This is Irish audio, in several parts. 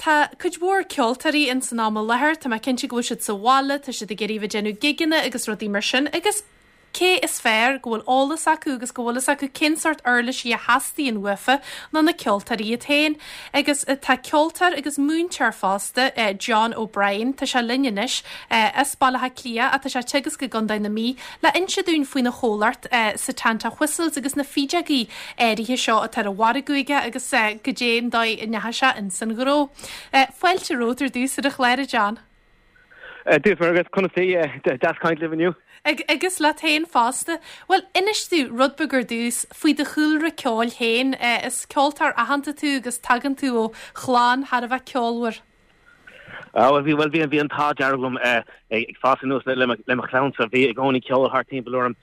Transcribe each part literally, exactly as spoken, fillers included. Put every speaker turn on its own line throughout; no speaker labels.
Tá cuid mhór ceoltóirí in san am i láthair, Tá mé cinnte go bhfuil siad sa bhaile, tá siad ag iarraidh bheith déanamh gigeanna agus rudaí mar sin, agus cé is fearr go bhfuil eolas acu agus go bhfuil fhios acu cén sórt uirlisí a theastaíonn uafa ná na ceoltóirí iad féin. Agus eh, tá ceoltóir agus múinteoir fosta eh, John O'Brien tá sé linn anois eh, as Baile Átha Cliath atá sé tegus go Gundai na mí le inse dúinn faoina chomhlacht eh, Setanta Whistles agus na fídeogaí áirithe seo atá ar an mhargadh aige agus eh, go dé an dóigh a ndeachaigh sé in san ghnó. Eh, Fáilte romhat ar dtús ar an chlár John.
Dúf agus conas deas caint libh inniu?
Ag agus leat féin fosta. Well inis dúinn rud beag ar dtús faoi do chúlra ceoil féin is ceoltóir aitheanta tú agus tagann tú ó chlann thar a bheith ceolmhar.
Ah, bhí well bhí bhí an t-ádh dearg liom ag fás aníos le le mo chlann-sa bhí i gcónaí ceol thart timpeall orm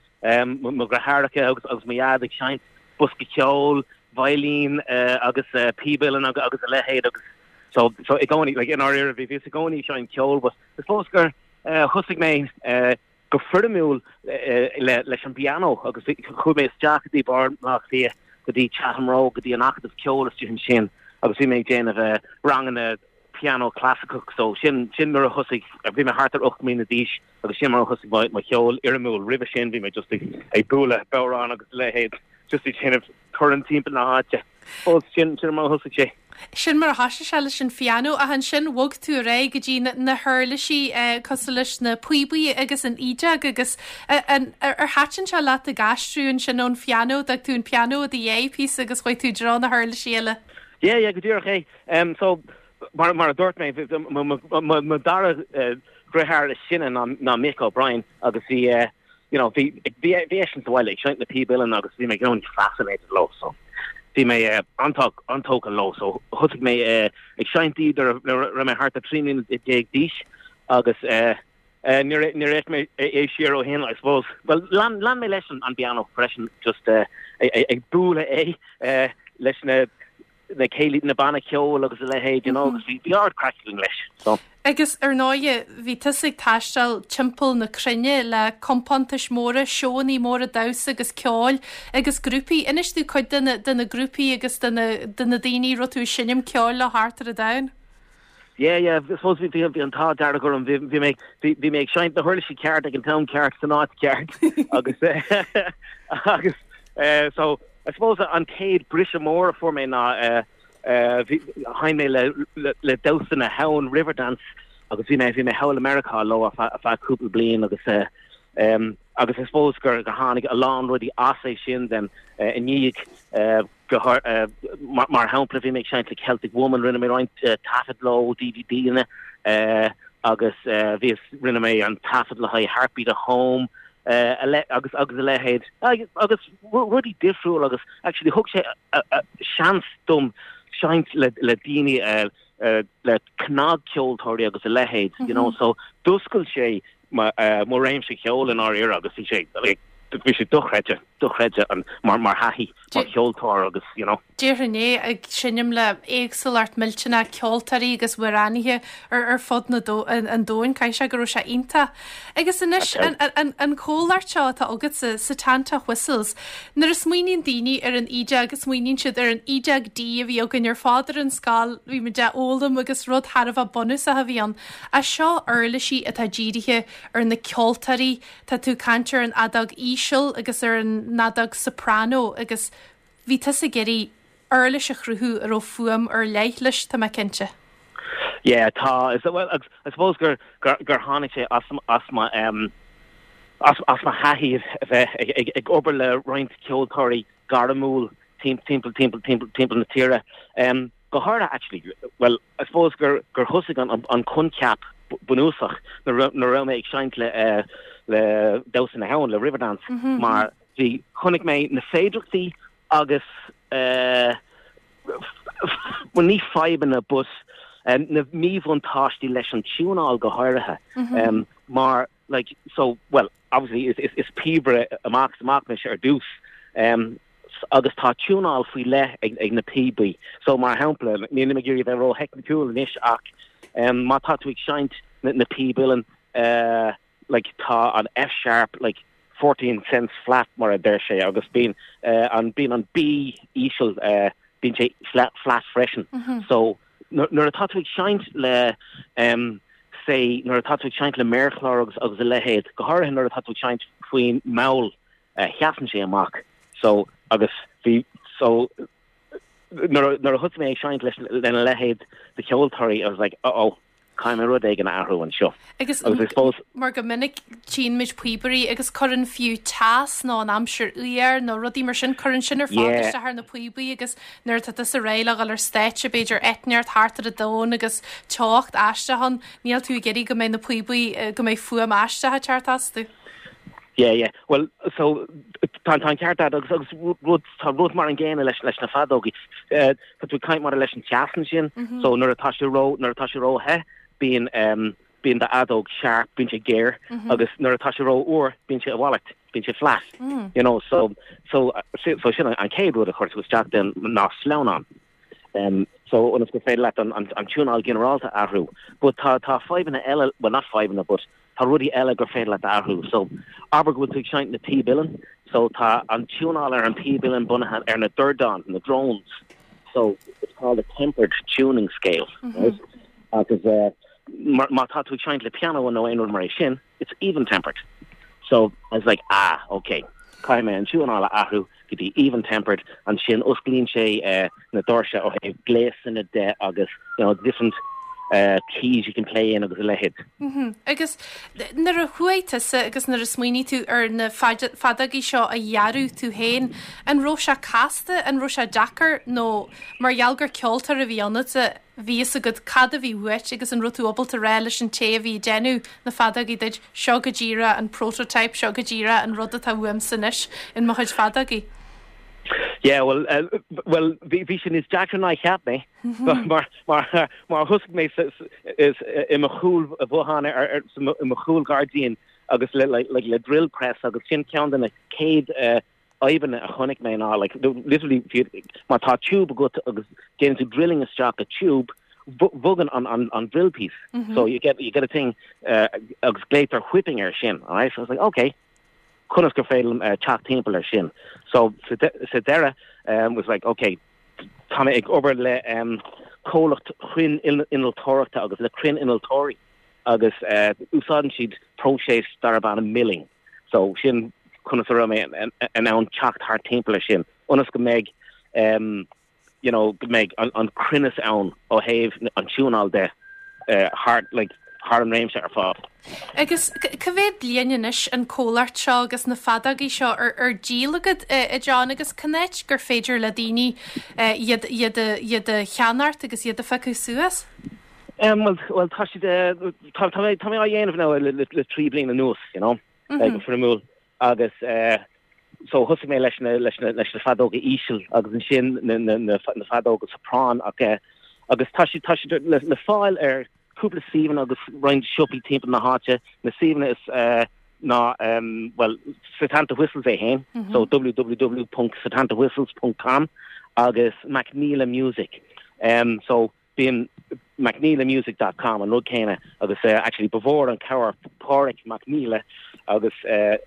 mo dheartháireacha agus agus mo dhaid ag seinnt bosca ceoil, veidhlín agus píb uilleann agus agus a leithéid agus so so i gcónaí like in ar bhí bhí i gcónaí seinnt ceol was suppose gur thosaigh mé go foirmiúil le leis an piano agus chuaigh mé isteach go dtí Baile Átha Cliath go dtí Chatham Road go dtí an Acadamh Ceoil istigh ansin agus bhí mé ag déanamh ranganna piano clasaiceach so sin sin mar a thosaigh bhí mé thart ar ocht mbliana d'aois agus sin mar a thosaigh mo cheol fhoirmiúil roimhe sin bhí mé just ag ag bualadh bodhrán agus leithéid just ag déanamh torann timpeall na háite. Ó sin sin mar a thosaigh sé.
Sin mar a thosaigh sé leis an phiano ach ansin bhog tú ar aghaidh go dtí na huirlisí cosúil leis na píobaí agus an fhídeog agus ar thaitin sé leat ag aistriú ansin ón phiano d'fhág tú an piano i do dhiaidh píosa agus chuaigh tú dtreo na huirlisí eile.
Yeah, yeah, go díreach é. Um, so mar mar a dúirt mé mo dara deartháir is sine ná ná Mick O'Brien agus bhí uh, you know bhí bhí bhí eisean sa bhaile ag seinnt na píb uilleann agus bhí mé going fascinated leo so bhí mé uh, an-tógtha leo so thosaigh mé uh, ag seinnt iad raibh mé thart ar trí bliana déag d'aois agus uh, uh, níor níor mé é siar ó shin I suppose well lean lean mé leis an an piano freisin just uh, ag bualadh é uh, leis na na céilí na banna ceoil agus a leithéid you know agus bhí bhí ard-chraic leis so
Agus ar ndóigh bhí tusa ag taisteal timpeall na cruinne le compántais móra, seónna móra damhsa agus ceoil agus grúpaí inis dúinn cuid de na de na grúpaí agus de na de na daoine raibh tú ag seinm ceoil le thart ar an domhan.
Yeah, yeah, suppose bhí bhí an t-ádh dearg orm bhí bhí mé bhí mé ag seinnt na huirlisí ceart ag an t-am ceart san áit ceart agus agus uh, so I suppose an chéad briseadh mór a fuair mé ná uh, sheinn mé le le, le Damhsa na hAbhann Riverdance agus bhí mé bhí mé thall i Meiriceá leo ar feadh cúpla bliain agus uh, um, agus I suppose gur go tháinig a lán rudaí as é sin den uh, i ndiaidh uh, go uh, mar, mar shampla bhí mé ag seinnt le Celtic Woman rinne mé roinnt uh, taifead leo DVD-anna uh, agus uh, bhí rinne mé an taifead le haghaidh Heartbeat of Home uh, a le, agus agus a leithéid agus, agus rudaí difriúil agus actually thug sé seans dom seinnt le le daoine uh, uh, le cnagcheoltóirí agus a leithéid mm -hmm. you know so d'oscail sé mo uh, mo réimse ceoil in áir agus bhí sé like, bhí sé dochreidte dochreidte an mar mar thaithí mar cheoltóir agus you know
Déarfainn é ag seinm le éagsúlacht millteanach ceoltóirí agus amhránaithe ar ar fud na do, an, an domhain caithfidh sé go raibh sé iontach. Agus anois an, an, an comhlacht seo atá agat sa Setanta Whistles. Nuair a smaoiníonn daoine ar an fhídeog agus smaoiníonn siad ar an fhídeog D a bhí againn ar fad ar an scoil bhí muid á fhoghlaim agus rud thar a bheith bunúsach a bhí ann. A seo uirlisí atá dírithe ar na ceoltóirí tá tú caint ar an fheadóg íseal agus ar an fheadóg soprano agus bhí tusa ag iarraidh uirlis a chruthú a raibh fuaim ar leith leis tá mé cinnte.
Yeah, tá is well I suppose gur gur gur tháinig sé as as ma um as as mo thaithí a bheith ag ag ag obair le roinnt ceoltóirí gairmiúil tim timpeall timpeall timpeall timpeall na tíre. Um go háirithe actually well I suppose gur gur thosaigh an an, an coincheap bunúsach na na raibh mé ag seinnt le uh, le Damhsa na hAbhann le Riverdance mm -hmm. mar bhí chonaic mé na féidearthachtaí agus uh, well, ní fadhbanna but um, na míbhuntáistí leis an tiúnáil go háirithe mm -hmm. um, mar like so well obviously is is, is píobaire amach amach mise ar dtús um, agus tá tiúnáil faoi leith ag, ag na píobaí so mar shampla ní mé ag bheith ró-theicniúil anois ach um, má tá tú ag seinnt na, na píb uilleann uh, like tá an F sharp like fourteen cents flat mar a deir sé agus bíonn uh, an bíonn an B íseal uh, bíonn sé flat flat freisin mm -hmm. so nuair atá tú ag seinnt le um, say nuair atá tú ag seinnt le méarchlár agus agus a leithéid go háirithe nuair atá tú ag seinnt faoin mball uh, sheasann sé amach so agus bhí so nuair a thosaigh mé ag seinnt leis lena leithéid de cheoltóirí I was like uh oh caithfidh mé rud éigin a athrú anseo.
Agus mar go minic tchíonn muid píobairí agus cuireann fiú teas nó an aimsir fhuar nó rudaí mar sin cuireann sin ar fad isteach ar na píobaí agus nuair atá tusa réidh le dhul ar stáitse b'fhéidir eitneart thart ar an domhan agus teocht aisteach ann níl tú ag iarraidh go mbeidh na píobaí eh, go mbeidh fuaim aisteach ag teacht astu.
Yeah, yeah. Well, so tá tá ceart agus agus rud tá rud mar an gcéanna leis leis na feadógaí. Uh, tá tú caint mar leis an teas ansin, mm -hmm. so nuair atá sé ró nuair atá sé ró-the bíonn um, bíonn do fheadóg sharp, bíonn sé géar mm -hmm. agus nuair atá sé ró-fhuar bíonn sé a mhalairt, bíonn sé flat. Mm. You know, so so so sin an chéad rud a chuir tú isteach den ná sleamhnán. Um, so ionas gur féidir leat an, an, an tiúnáil ginearálta athrú. But tá tá fadhbanna eile well not fadhbanna but tá rudaí eile gur féidir leat athrú. So abair go bhfuil tú ag seinnt na píb uilleann, so tá an tiúnáil ar an píb uilleann bunaithe ar na dordáin, na drones. So it's called a tempered tuning scale. Mm -hmm. Right? Agus uh, má tá tú ag seinnt le piano nó aon rud mar é sin, it's even tempered. So I was like, ah, okay. Caithfidh mé an tiúnáil a athrú go dtí even tempered ansin osclaíonn sé uh, na doirse ó thaobh gléasanna de agus you know, different uh, keys you can play in agus a leithéid.
Mm -hmm. Agus nuair a chuaigh tusa agus nuair a smaoinigh tú ar na feadógaí seo a dhearadh tú féin, an raibh sé casta an raibh sé deacair nó mar gheall gur ceoltóir a bhí ionat bhí a fhios agat cad a bhí uait agus an raibh tú ábalta rá leis an té a bhí ag déanamh na feadógaí duit seo go díreach an prototype seo go díreach an rud atá uaimse anois in mo chuid feadógaí.
Yeah, well, uh, well, bhí bhí sin níos deacra ná cheap mé mar mar mar thosaigh mé is i mo chúl bhothán ar i mo chúl gairdín agus le like, like, le drill press agus sin ceann de na céad uh, fhadhbanna a chonaic mé ná like literally má tá tube agat agus déanann tú drilling isteach a tube bogann an an an drill piece mm -hmm. so you get you get a thing uh, agus glaotar whipping ar sin all right so I was like okay conas gur féidir uh, teacht timpeall ar sin so sa deireadh um, was like okay tá mé ag obair le um, comhlacht chruinn innealtóireachta agus le cruinn innealtóirí agus uh, úsáideann siad próiseas darb ainm milling so sin conas a raibh mé in ann teacht thar timpeall sin ionas go mbeidh um, you know go mbeidh an, an cruinneas ann ó thaobh an tiúnáil de uh, thar like thar an réimse ar fad.
Agus cá mhéad bliain anois an comhlacht seo agus na feadógaí seo ar ar díol agat a John agus cá háit gur féidir le daoine iad iad iad a cheannacht agus iad a phiocadh suas?
Um, well, well tá siad tá tá mé tá mé á dhéanamh now le, le, le trí bliana anuas, you know, mm -hmm. foirmiúil agus uh, so thosaigh mé leis na leis na leis na feadóga íseal agus ansin na na na, na feadóga soprán ach uh, agus tá siad tá siad le, le fáil ar cúpla suíomhanna agus roinnt siopaí timpeall na háite na suíomhanna is uh, ná um, well Setanta Whistles é féin mm -hmm. so www.setantawhistles.com agus McNeela Music um, so bíonn mcneelamusic.com an rud céanna agus uh, actually ba mhór an cabhair Pádraig McNeela agus uh,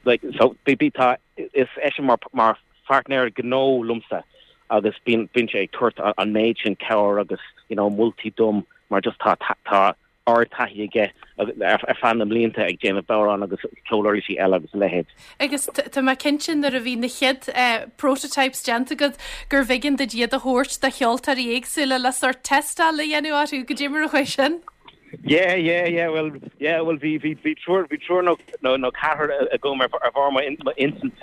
like so bí bí tá is eisean mar mar partner gnó liomsa agus bíonn bíonn sé ag tabhairt an méid sin cabhair agus you know moltaí dom mar just tá tá ardtaithí aige ar ar feadh na mblianta ag déanamh bodhrán agus ceoluirlisí eile agus leithéid.
Agus tá mé cinnte nuair a bhí na chéad uh, prototypes déanta agat gur bh'éigean duit iad a thabhairt do cheoltóirí éagsúla le sort tástáil a dhéanamh orthu go dtí mar a chuaigh sin.
Yeah, yeah, yeah, well, yeah, well, bhí bhí bhí triúr bhí triúr nó nó nó ceathrar agam ar ar bharr mo intinn mo intinn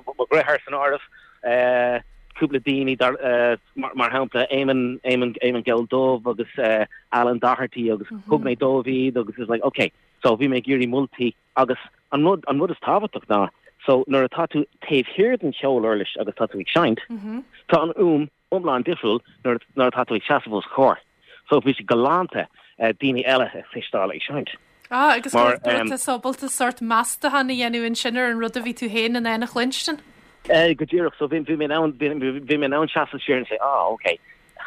mo dheartháir san áireamh eh cúpla daoine dar uh, mar, mar shampla Eamon Eamon Eamon Gel Dubh agus uh, Alan Doherty agus mm -hmm. thug mé dóibh iad agus is like okay so bhí mé ag iarraidh moltaí agus an rud an rud is tábhachtach ná so nuair atá tú taobh thiar den cheoluirlis agus tá tú ag seinnt mm -hmm. tá an fhuaim iomlán difriúil nuair nuair atá tú ag seasamh os comhair so bhí sé galánta uh, daoine eile a chloisteáil ag seinnt.
Ah, agus mar ábalta sort meastachán a dhéanamh ansin ar an rud a bhí tú féin in ann a chluinstin?
Uh, go díreach so bhí bhí mé ann bhí mé ann seasamh siar say ah okay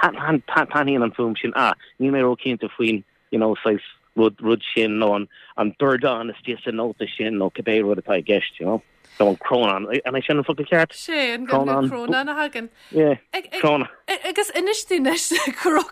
taitníonn an fhuaim sin ah níl mé ró-chinnte faoin you know saghas rud rud sin nó an an dordán is sa nóta sin nó cibé rud atá i gceist you know. So an crónán an é sin an focal ceart?
Sé an crónán a thagann.
Cróna.
Agus inis dúinn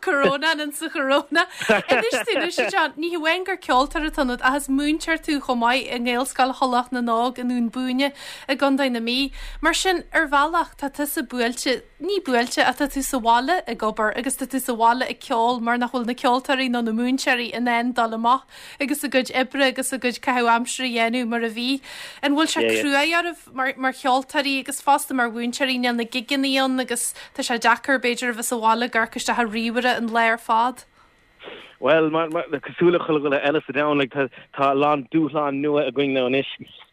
corónán an sa choróna. Inis dúinn John, ní hamháin gur ceoltóir atá ionat ach is múinteoir tú chomh maith i nGaelscoil Thulach na nÓg i nDún Búinne i gContae na Mí. Mar sin ar bhealach tá tusa buailte ní buailte ach tá tú sa bhaile ag obair agus tá tú sa bhaile ag ceol mar nach bhfuil na ceoltóirí nó na múinteoirí in ann dul amach agus a gcuid oibre agus a gcuid caitheamh aimsire a dhéanamh mar a bhí. An bhfuil sé crua oraibh mar, mar cheoltóirí agus fosta mar mhúinteoirí níl na gigeanna ann agus tá sé deacair b'fhéidir a bheith sa bhaile ag amharc isteach ar ríomhaire an lá ar fad.
Well mar mar cosúil le chuile dhuine eile sa domhan like, tá tá lán dúshlán nua againn now anois.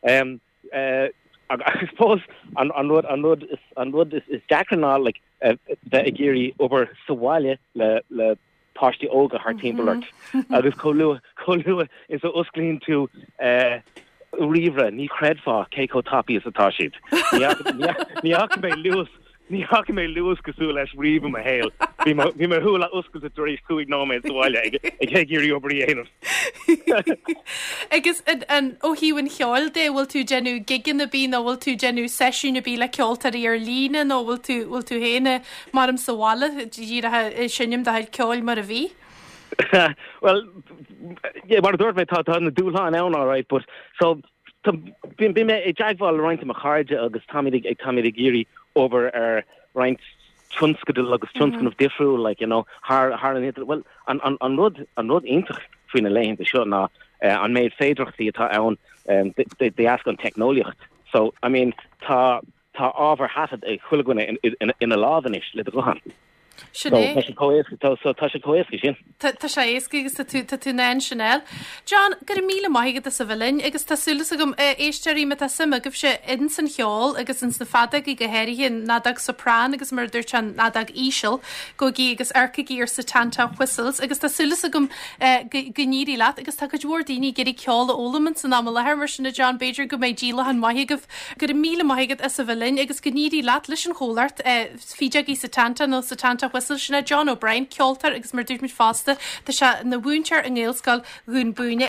Um, uh, I suppose an an rud an rud is an rud is, is deacra ná like uh, bheith ag iarraidh obair sa bhaile le le páistí óga thart timpeall ort agus chomh luath chomh luath is a osclaíonn tú uh, ríomhaire ní chreidfeá cé chomh tapaidh is atá siad. Ní fhaca mé luas ní fhaca mé luas cosúil leis riamh i mo shaol. Bhí mo shúile oscailte tar éis cúig nóiméad sa bhaile ag ag iarraidh obair a dhéanamh.
Agus an ó thaobh an cheoil de bhfuil tú déanamh gigeanna ar bith nó bhfuil tú déanamh seisiún ar bith le ceoltóirí ar líne nó bhfuil tú bhfuil tú féin mar am sa bhaile díreach seinm do chuid ceoil mar a bhí?
well yeah, mar dúirt mé tá tá na dúshláin ann all right, but so bhí mé i dteagmháil le roinnt mo chairde agus táimid ag táimid ag iarraidh obair ar roinnt tionscadal agus tionscnamh difriúil like you know thar thar an well an an an rud an rud iontach faoi na laethanta seo ná uh, an méid féidearthachtaí atá ann um, de dheasca an teicneolaíocht so I mean tá tá ábhar taifeadta ag chuile dhuine ina lámh anois le do ghuthán.
Sin é.
Tá sé tá sé chomh héasca sin.
Tá sé éasca agus tá tú tá tú ná sinel. John go raibh míle maith agat as a bheith linn agus tá súil agam éisteoirí má tá suim agaibhse in san cheol agus in sna feadógaí go háirithe an fheadóg soprán agus mar dúirt an fheadóg íseal gabhaigí agus amharcaigí ar Setanta Whistles agus tá súil agam go n-éirí leat agus tá cuid mhór daoine ag iarraidh ceol a fhoghlaim san am i láthair mar sin John b'fhéidir go mbeidh díolachán maith agaibh go raibh míle maith agat as a bheith linn agus go n-éirí leat leis an chomhlacht Feadógaí Setanta nó Setanta Whistle sin John O'Brien ceoltóir agus mar dúirt muid fosta tá sé ina mhúinteoir i nGaelscoil Dhún Búinne.